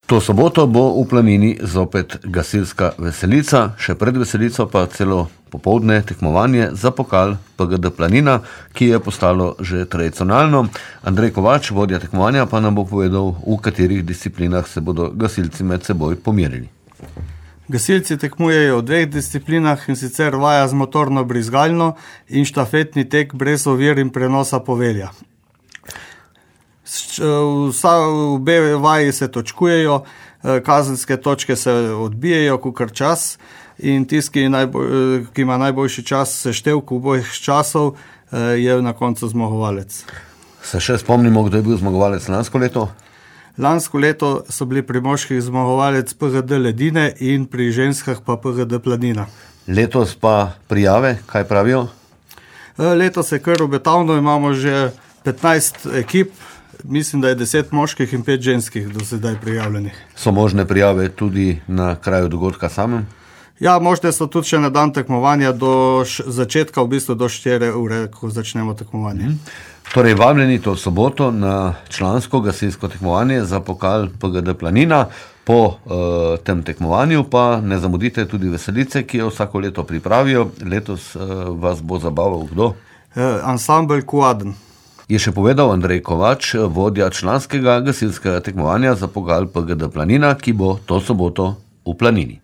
To soboto bo v Planini zopet gasilska veselica, še pred veselico pa celo popoldne tekmovanje za pokal PGD Planina, ki je postalo že tradicionalno. Andrej Kovač, vodja tekmovanja, pa nam bo povedal, v katerih disciplinah se bodo gasilci med seboj pomerili. Gasilci tekmujejo v dveh disciplinah, in sicer vaja z motorno brizgalno in štafetni tek brez ovir in prenosa povelja. Obe vaji se točkujejo, kazenske točke se odbijajo kakor čas in tisti, ki ima najboljši čas seštevk obojih časov, je na koncu zmagovalec. Se še spomnimo, kdo je bil zmagovalec lansko leto? Lansko leto so bili pri moških zmagovalec PGD Ledine in pri ženskah pa PGD Planina. Letos pa prijave, kaj pravijo? Letos je kar obetavno, imamo že 15 ekip, mislim, da je 10 moških in 5 ženskih do sedaj prijavljenih. So možne prijave tudi na kraju dogodka samem? Ja, možne so tudi še na dan tekmovanja do začetka, v bistvu do 4 ure, ko začnemo tekmovanje. Torej, vabljeni to soboto na člansko gasilsko tekmovanje za pokal PGD Planina. Po tem tekmovanju pa ne zamudite tudi veselice, ki jo vsako leto pripravijo. Letos vas bo zabaval kdo? Ansambel Kuaden. Je še povedal Andrej Kovač, vodja članskega gasilskega tekmovanja za pokal PGD Planina, ki bo to soboto v Planini.